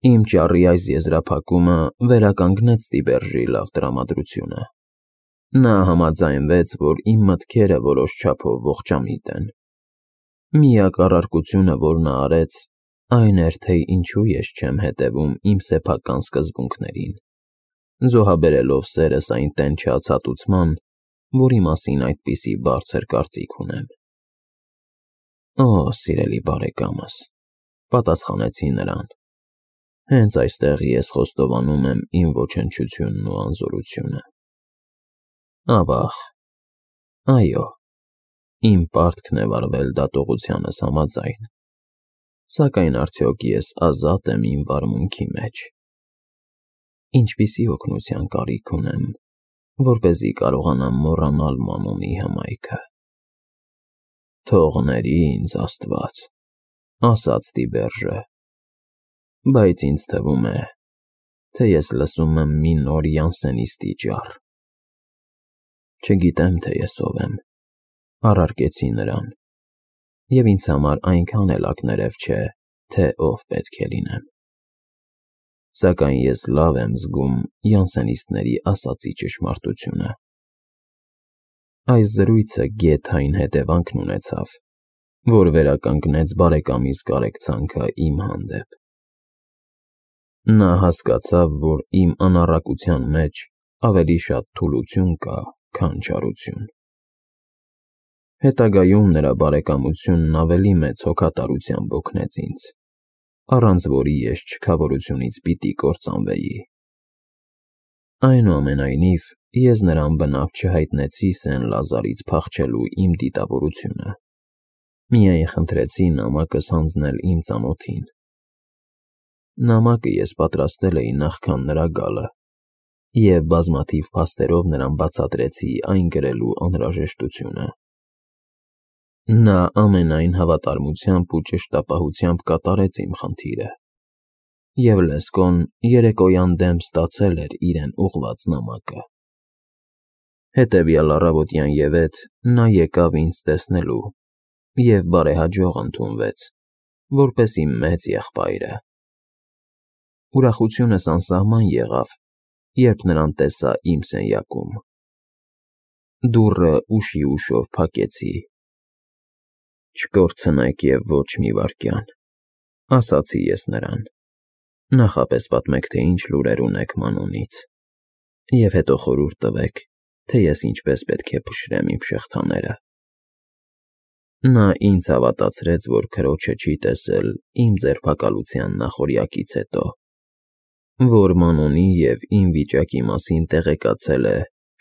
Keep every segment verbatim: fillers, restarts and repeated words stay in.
Իմ ճառի այս եզրափակումը վերականգնեց Տիբերժի լավ տրամադրությունը։ Նա համաձայնվեց, որ իմ մտքերը որոշ չափով ողջամիտ են։ Միակ առարկությունը, որ նա արեց, այն էր, թե ինչու ես չեմ հետևում իմ սեփական սկզբունքներին, զոհաբերելով սերս այն տենչած հատուցման, որի մասին այդպիսի բարձր կարծիք ունեմ։ Օ, սիրելի բարեկամս, պատասխանեցի նրան, հենց այստեղ ես խոստովանում եմ իմ ոչնչությունն ու անզորությունը։ Ավաղ, այո, իմ պարտքն է վարվել դատողությանս համաձայն, սակայն արդյոք ես ազատ եմ իմ վարմունքի մեջ։ Ինչպիսի օգնության կարիք ունեմ, որպեսզի կարողանամ մոռանալ Մանոնի հմայքը։ Թող ների ինձ Աստված, ասաց Տիբերժը, բայց ինձ թվում է, թե ես լսում եմ մի նոր յանսենիստի ճառ։ Չգիտեմ, թե ես ով եմ, առարկեցի նրան, և ինձ համար այնքան էլ ակներև չէ, թե ով պետք է լինեմ։ Սակայն ես լավ եմ զգում յանսենիստների ասածի ճշմարտությունը։ Այս զրույցը գեթային հետևանքն ունեցավ, որ վերականգնեց բարեկամիս կարեկցանքը իմ հանդեպ։ Նա հասկացավ, որ իմ անառակության մեջ ավելի շատ թուլություն կա, քան չարություն։ Հետագայում նրա բարեկամությունն ավելի մեծ հոգատարությամբ օգնեց ինձ, առանց որի ես չքավորությունից պիտի կործանվեի։ Այնուամենայնիվ, ես նրան բնավ չհայտնեցի Սեն֊Լազարից փախչելու իմ դիտավորությունը, միայն խնդրեցի նամակս հանձնել իմ ծանոթին։ Նամակը ես պատրաստել էի նախքան նրա գալը, և բազմաթիվ փաստերով նրան բացատրեցի այն գրելու անհրաժեշտությունը։ Նա ամենայն հավատարմությամբ ու ճշտապահությամբ կատարեց իմ խնդիրը, և լեսկոն երեկոյան դեմ ստացել էր իրեն ուղղված նամակը։ Հետևյալ առավոտյան ևեթ նա եկավ ինձ տեսնելու և բարեհաջող ընդունվեց, որպես իմ մեծ եղբայրը։ Ուրախությունս անսահման եղավ, երբ նրան տեսա իմ սենյակում։ Դուռը ուշի ուշով փակեցի։ Չկորցնեք և ոչ մի վայրկյան, ասացի ես նրան, նախապես պատմեք, թե ինչ լուրեր ունեք Մանոնից, և հետո խորհուրդ տվեք, թե ես ինչպես պետք է փշրեմ իմ շղթաները։ Նա ինձ հավատացրեց, որ քրոջը չի տեսել իմ ձերբակալության նախօրյակից հետո, որ Մանոնի և իմ վիճակի մասին տեղեկացել է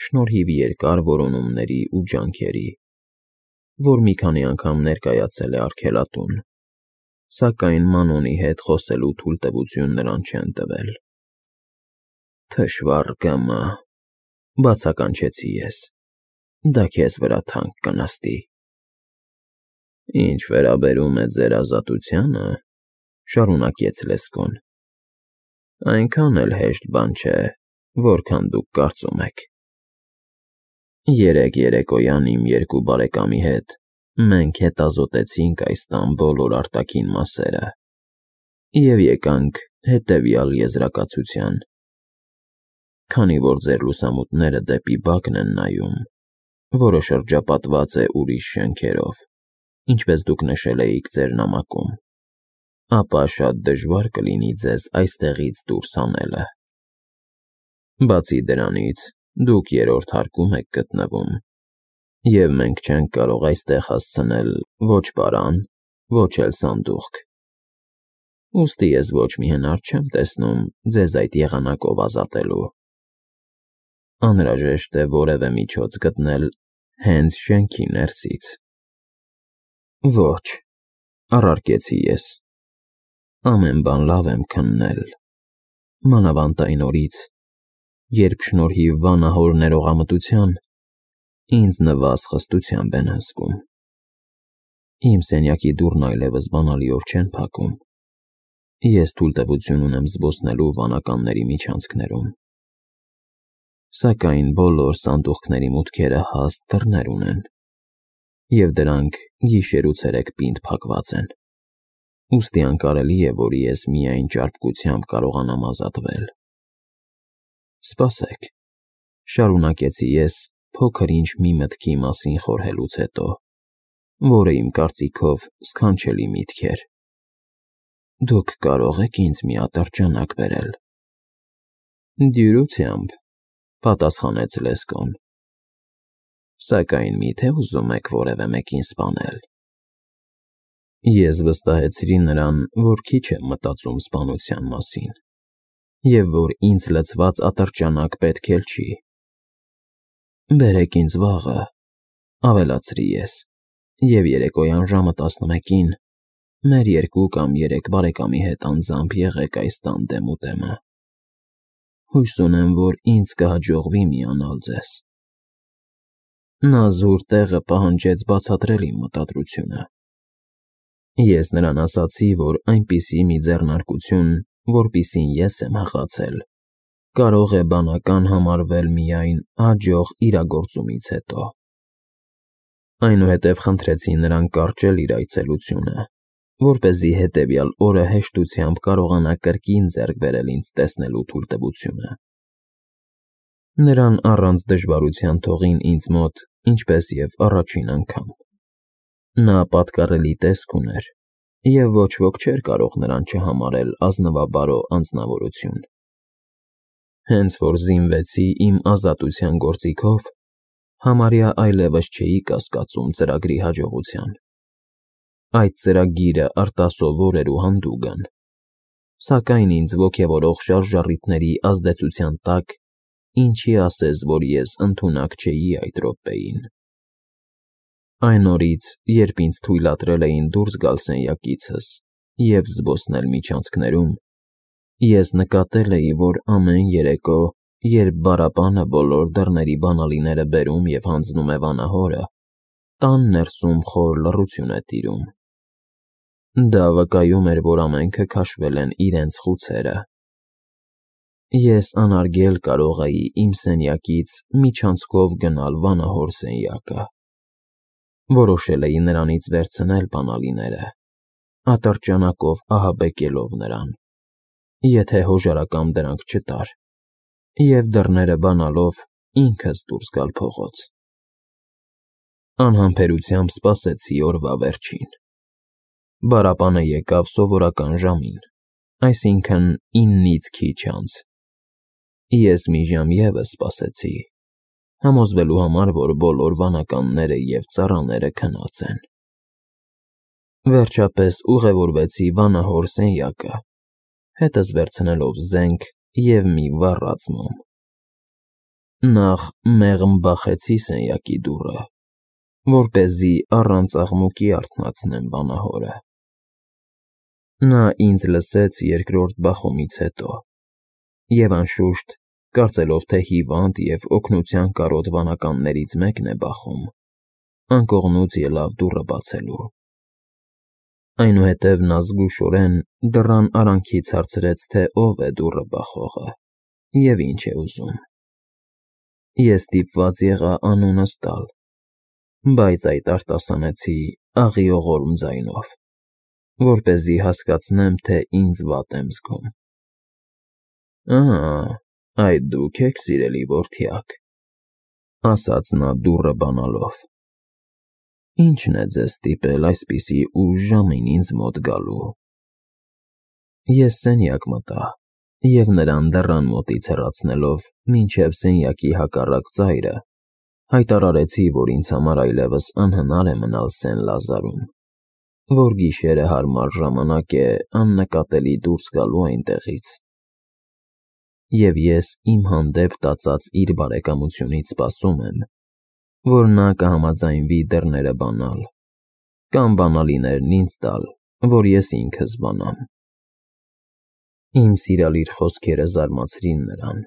շնորհիվ երկար որոնումների ու ջանքերի, որ մի քանի անգամ ներկայացել է արգելատուն, սակայն Մանոնի հետ խոսելու թույլտվություն նրան չեն տվել։ Թշվառ գ.մ., բացականչեցի ես, դա քեզ վրա թանկ կնստի։ Ինչ վերաբերում է ձեր ազատությանը, շարունակեց լեսկոն, այնքան էլ հեշտ բան չէ, որքան դուք կարծում եք։ Երեկ երեկոյան իմ երկու բարեկամի հետ մենք հետազոտեցինք այս տան բոլոր արտաքին մասերը և եկանք հետևյալ եզրակացության. քանի որ ձեր լուսամուտները դեպի բակն են նայում, որը շրջապատված է ուրիշ շենքերով, ինչպես դուք նշել էիք ձեր նամակում, ապա շատ դժվար կլինի ձեզ այստեղից դուրս հանելը։ Բացի դրանից, դուք երրորդ հարկում եք գտնվում, և մենք չենք կարող այստեղ հասցնել ոչ պարան, ոչ էլ սանդուղք։ Ուստի ես ոչ մի հնար չեմ տեսնում ձեզ այդ եղանակով ազատելու։ Անհրաժեշտ է որևէ միջոց գտնել հենց շենքի ներսից։ Ոչ, առարկեցի ես, ամեն բան լավ եմ քննել, մանավանդ այն օրից, երբ շնորհիվ վանահոր ներողամտության ինձ նվազ խստությամբ են հսկում։ Իմ սենյակի դուռն այլևս բանալիով չեն փակում։ Ես թույլտվություն ունեմ զբոսնելու վանականների միջանցքներում, սակայն բոլոր սանդուղքների մուտքերը հաստ դռներ ունեն, և դրանք գիշեր ու ցերեկ պինդ փակված են, ուստի անկարելի է, որ ես միայն ճարպկությամբ կարողանամ ազատվել։ Սպասեք, շարունակեցի ես փոքր-ինչ մի մտքի մասին խորհելուց հետո, որը իմ կարծիքով սքանչելի միտք էր։ Դուք կարող եք ինձ մի ատրճանակ բերել։ Դյուրությամբ, պատասխանեց Լեսկոն։ Սակայն միթե ուզում եք որևէ մեկին սպանել։ Ես վստահեցրի նրան, որ քիչ եմ մտածում սպանության մասին, և որ ինձ լցված ատրճանակ պետք էլ չի։ Բերեք ինձ վաղը, ավելացրի ես, և երեկոյան ժամը տասնմեկին մեր երկու կամ երեք բարեկամի հետ անձամբ եղեք այս տան դեմուդեմը։ Հույս ունեմ, որ ինձ կհաջողվի միանալ ձեզ։ Նա զուր տեղը պահանջեց բացատրել իմ մտադրությունը։ Ես նրան ասացի, որ այնպիսի մի ձեռնարկություն, որպիսին ես եմ հղացել, կարող է բանական համարվել միայն հաջող իրագործումից հետո։ Այնուհետև խնդրեցի նրան կարճել իր այցելությունը, որպեսզի հետևյալ օրը հեշտությամբ կարողանա կրկին ձեռք բերել ինձ տեսնելու թույլտվությունը։ Նրան առանց դժվարության թողին ինձ մոտ, ինչպես և առաջին անգամ։ Նա պատկառելի տեսք ուներ, և ոչ ոք չէր կարող նրան չհամարել ազնվաբարո անձնավորություն։ Հենց որ զինվեցի իմ ազատության գործիքով, համարյա այլևս չէի կասկածում ծրագրի հաջողության։ Այդ ծրագիրը արտասովոր էր ու հանդուգն, սակայն ինձ ոգևորող շարժառիթների ազդեցության տակ ինչի ասես, որ ես ընդունակ չէի այդ րոպեին։ Այն օրից, երբ ինձ թույլատրել էին դուրս գալ սենյակիցս և զբոսնել միջանցքներում, ես նկատել էի, որ ամեն երեկո, երբ Բարաբանը բոլոր դռների բանալիները բերում և հանձնում է վանահորը, տան ներսում խոր լռություն է տիրում։ Դա վկայում էր, որ ամենքը քաշվել են իրենց խուցերը։ Ես անարգել կարող էի իմ սենյակից միջանցքով գնալ վանահոր սենյակը։ Որոշել էի նրանից վերցնել բանալիները, ատրճանակով ահաբեկելով նրան, եթե հոժարակամ դրանք չտար, և դռները բանալով ինքս դուրս գալ փողոց։ Անհամբերությամբ սպասեցի օրվա վերջին։ Բարաբանը եկավ սովորական ժամին, այսինքն՝ իննից քիչ անց։ Ես մի ժամ ևս սպասեցի, համոզվելու համար, որ բոլոր վանականները և ծառաները քնած են։ Վերջապես ուղևորվեցի վանահոր սենյակը, հետս վերցնելով զենք և մի վառած մոմ։ Նախ մեղմ բախեցի սենյակի դուռը, որպեսզի առանց աղմուկի արթնացնեմ վանահորը։ Նա ինձ լսեց երկրորդ բախումից հետո, և անշուշտ, կարծելով, թե հիվանդ և օգնության կարոտ վանականներից մեկն է բախում, անկողնուց ելավ դուռը բացելու։ Այնուհետև նա զգուշորեն դռան արանքից հարցրեց, թե ով է դուռը բախողը և ինչ է ուզում։ Ես ստիպված եղա անունս տալ, բայց այդ արտասանեցի աղիողորմ ձայնով, որպեսզի հասկացնեմ, թե ինձ վատ եմ զգում։ Ա, այդ դուք եք, սիրելի որդյակ, ասաց նա դուռը բանալով։ Ի՞նչն է ձեզ ստիպել այսպիսի ուշ ժամին ինձ մոտ գալու։ Ես սենյակ մտա և նրան դռան մոտից հեռացնելով մինչև սենյակի հակառակ ծայրը, հայտարարեցի, որ ինձ համար այլևս անհնար է մնալ Սեն֊Լազարում, որ գիշերը հարմար ժամանակ է աննկատելի դուրս գալու այնտեղից, և ես իմ հանդեպ տածած իր բարեկամությունից սպասում եմ, որ նա կհամաձայնվի դռները բանալ, կամ բանալիներն ինձ տալ, որ ես ինքս բանամ։ Իմ սիրալիր խոսքերը զարմացրին նրան։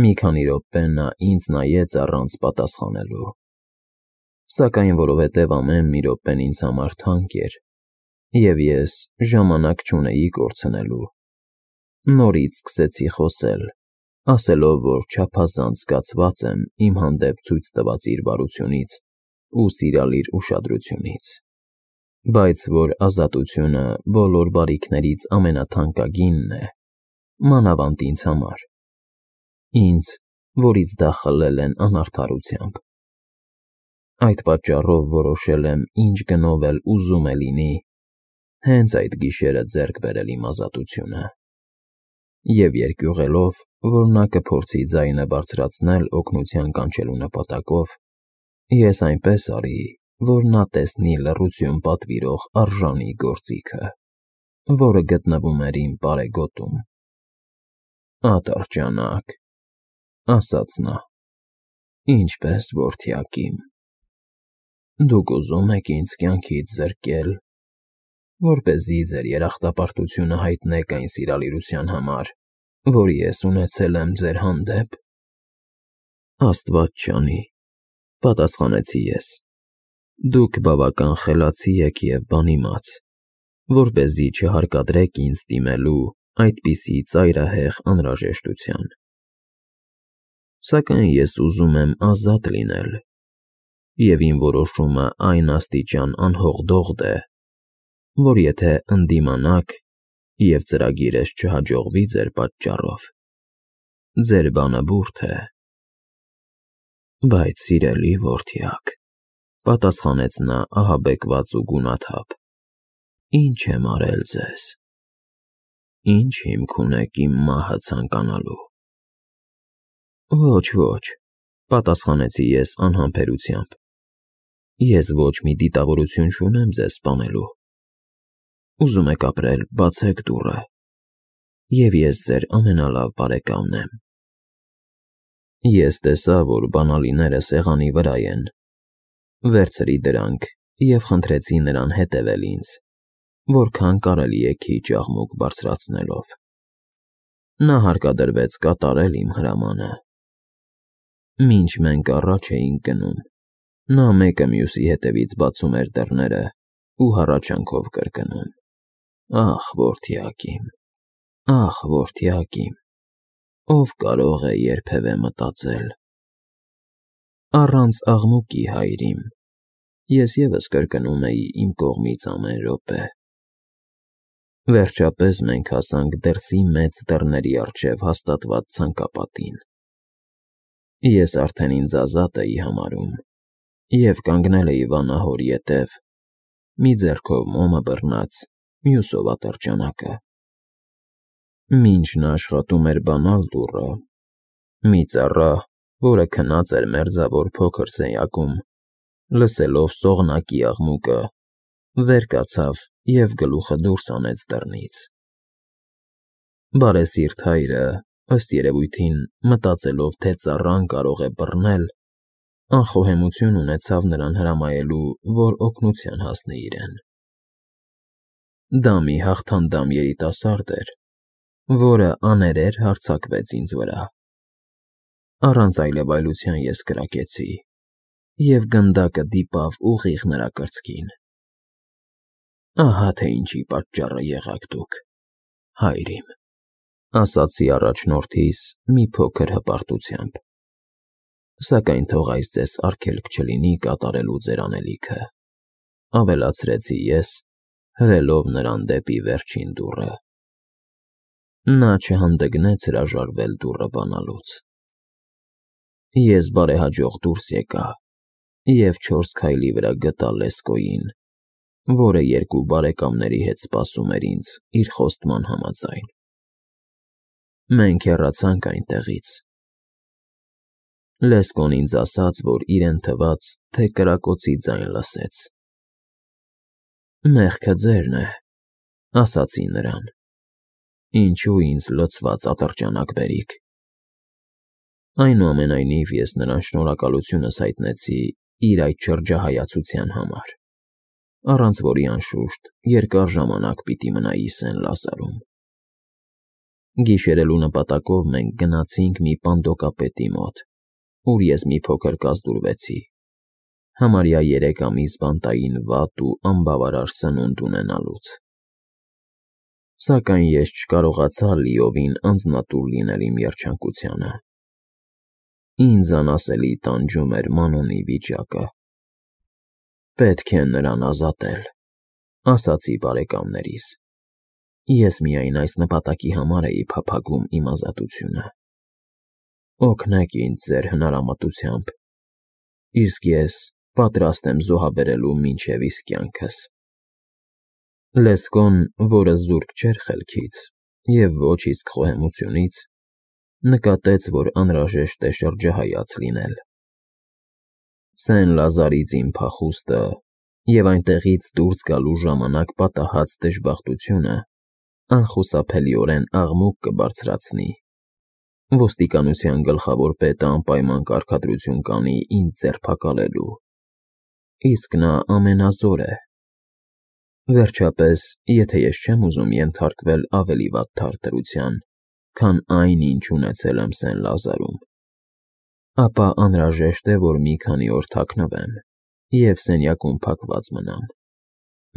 Մի քանի րոպե նա ինձ նայեց առանց պատասխանելու, սակայն որովհետև ամեն մի րոպեն ինձ համար թանկ էր, և ես ժամանակ չունեի կորցնելու, նորից սկսեցի խոսել, ասելով, որ չափազանց զգացված եմ իմ հանդեպ ցույց տված իր բարությունից ու սիրալիր ուշադրությունից։ բայց որ ազատությունը բոլոր բարիքներից ամենաթանկագինն է, մանավանդ ինձ համար, ինձ, որից դա խլել են անարդարությամբ։ Այդ պատճառով որոշել եմ ինչ գնով էլ ուզում է լինի, հենց այդ գիշերը ձեռք բերել իմ ազատությունը։ Եվ երկյուղելով, որ նա կփորձի ձայնը բարձրացնել օգնության կանչելու նպատակով, ես այնպես արի, որ նա տեսնի լռություն պատվիրող արժանի գործիքը, որը գտնվում էր իմ պարեգոտում։ «Ատրճանակ», ասաց նա, «ինչպես որդյակ իմ, դուք ուզում եք ինձ կյանքից զրկել, որպեսզի ձեր երախտապարտությունը հայտնեք այն սիրալիրության համար, որի ես ունեցել եմ ձեր հանդեպ»։ «Աստված չանի», պատասխանեցի ես, «դուք բավական խելացի եք և բանիմաց, որպեսզի չհարկադրեք ինձ դիմելու այդպիսի ծայրահեղ անհրաժեշտության։ Սակայն ես ուզում եմ ազատ լինել, և իմ որոշումը այն աստիճան անհողդողդ է, որ եթե ընդդիմանաք և ծրագիրս չհաջողվի ձեր պատճառով, ձեր բանը բուրդ է»։ «Բայց, սիրելի որդյակ», պատասխանեց նա ահաբեկված ու գունաթափ, «ինչ եմ արել ձեզ, ինչ հիմք ունեք իմ մահը ցանկանալու»։ «Ոչ, ոչ», պատասխանեցի ես անհամբերությամբ, «ես ոչ մի դիտավորություն չունեմ ձեզ սպանելու։ Ուզում եք ապրել, բացեք դուռը, և ես ձեր ամենալավ բարեկամն եմ»։ Ես տեսա, որ բանալիները սեղանի վրա են, վերցրի դրանք և խնդրեցի նրան հետևել ինձ, որքան կարելի է քիչ աղմուկ բարձրացնելով։ Նա հարկադրվեց կատարել իմ հրամանը։ Մինչ մենք առաջ էինք գնում, նա մեկը մյուսի հետևից բացում էր դռները ու հառաչանքով կրկնում. «Ախ, որդյակ իմ, ախ, որդյակ իմ, ով կարող է երբևէ մտածել»։ Առանց աղմուկի, հայր իմ, ես ևս կրկնում էի իմ կողմից ամեն րոպե։ Վերջապես մենք հասանք դրսի մեծ դռների առջև հաստատված ցանկապատին։ Ես արդեն ինձ ազատ էի համարում և կանգնել էի վանահորի ետև, մի ձեռքով մոմը բռնած, մյուսով ատրճանակը։ Մինչ նա աշխատում էր բանալ դուռը, մի ծառա, որը քնած էր մերձավոր փոքր սենյակում, լսելով սողնակի աղմուկը, վեր կացավ և գլուխը դուրս հանեց դռնից։ Բարեսիրտ հայրը, ըստ երևույթին, մտածելով, թե ծառան կարող է բռնել, անխոհեմություն ունեցավ նրան հրամայելու, որ օգնության հասնի իրեն։ Դա մի հաղթանդամ երիտասարդ էր, որը աներեր հարձակվեց ինձ վրա։ Առանց այլևայլության ես կրակեցի, և գնդակը դիպավ ուղիղ նրա կրծքին։ «Ահա թե ինչի պատճառը եղաք դուք, հայր իմ», ասացի առաջնորդիս մի փոքր հպարտությամբ, «սակայն թող այս ձեզ արգելք չլինի կատարելու ձեր անելիքը», ավելացրեցի ես, հրելով նրան դեպի վերջին դուռը։ Նա չհանդգնեց հրաժարվել դուռը բանալուց։ Ես բարեհաջող դուրս եկա և չորս քայլի վրա գտա Լեսկոյին, որը երկու բարեկամների հետ սպասում էր ինձ իր խոստման համաձայն։ Մենք հեռացանք այնտեղից։ Լեսկոն ինձ ասաց, որ իրեն թվաց, թե կրակոցի ձայն լսեց։ «Մեղքը ձերն է», ասացի նրան, «ինչու ինձ լցված ատրճանակ բերիք»։ Այնուամենայնիվ ես նրան շնորհակալությունս հայտնեցի իր այդ շրջահայացության համար, առանց որի, անշուշտ, երկար ժամանակ պիտի մնայի Սեն֊Լազարում։ Գիշերելու նպատակով մենք գնացինք մի պանդոկապետի մոտ, ուր ես մի փոքր կազդուրվեցի, համարյա երեք ամիս բանտային վատ ու անբավարար սնունդ ունենալուց։ Սակայն ես չկարողացա լիովին անձնատուր լինել իմ երջանկությանը։ Ինձ անասելի տանջում էր Մանոնի վիճակը։ Պետք է նրան ազատել։ ասացի բարեկամներիս։ Ես միայն այս նպատակի համար էի փափագում իմ ազատությունը։ Օգնեք ինձ ձեր հնարամտությամբ, իսկ ես պատրաստ եմ զոհաբերելու մինչև իսկ կյանքս։ Լեսկոն, որը զուրկ չէր խելքից և ոչ իսկ խոհեմությունից, նկատեց, որ անհրաժեշտ է շրջահայաց լինել։ Սեն֊Լազարից իմ փախուստը և այնտեղից դուրս գալու ժամանակ պատահած դժբախտությունը անխուսափելիորեն աղմուկ կբարձրացնի։ Ոստիկանության գլխավոր պետը անպայման կարգադրություն կանի ինձ ձերբակալելու, իսկ նա ամենազոր է։ Վերջապես, եթե ես չեմ ուզում ենթարկվել ավելի վատ թարտրության, քան այն, ինչ ունեցել եմ Սեն֊Լազարում, ապա անհրաժեշտ է, որ մի քանի օր թաքնվեմ և սենյակում փակված մնամ,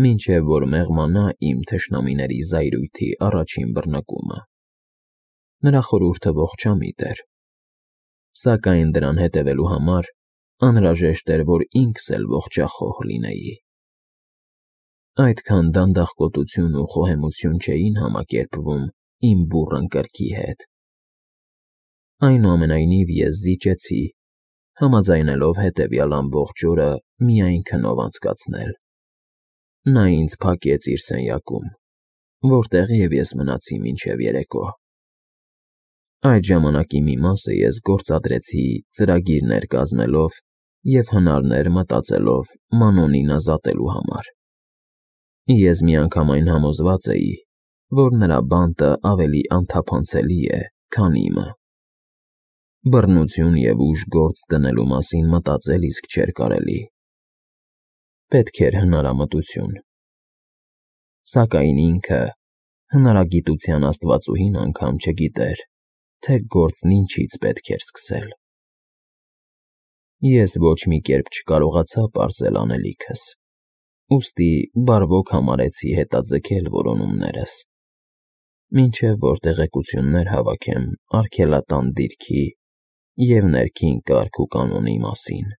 մինչև որ մեղմանա իմ թշնամիների զայրույթի առաջին բռնկումը։ Նրա խորհուրդը ողջամիտ էր, սակայն դրան հետևելու համար անհրաժեշտ էր, որ ինքս էլ ողջախոհ լինեի։ Այդքան դանդաղկոտություն ու խոհեմություն չէին համակերպվում իմ բուռն կրքի հետ։ Այնուամենայնիվ ես զիջեցի, համաձայնելով հետևյալ ամբողջ օրը միայն քնով անցկացնել։ Նա ինձ փակեց իր սենյակում, որտեղ և ես մնացի մինչև երեկո։ Այդ ժամանակի մի մասը ես գործադրեցի ծրագիրներ կազմելով և հնարներ մտածելով Մանոնին ազատելու համար։ Ես միանգամայն համոզված էի, որ նրա բանտը ավելի անթափանցելի է, քան իմը։ Բռնություն և ուժ գործ դնելու մասին մտածել իսկ չէր կարելի։ Պետք էր հնարամտություն։ Սակայն ինքը, հնարագիտության աստվածուհին անգամ չգիտեր, թե գործն ինչից պետք էր սկսել։ Ես ոչ մի կերպ չկարողացա պարզել անելիքս, ուստի բարվոք համարեցի հետաձգել որոնումներս, մինչև որ տեղեկություններ հավաքեմ արգելատան դիրքի և ներքին կարգ ու կանոնի մասին։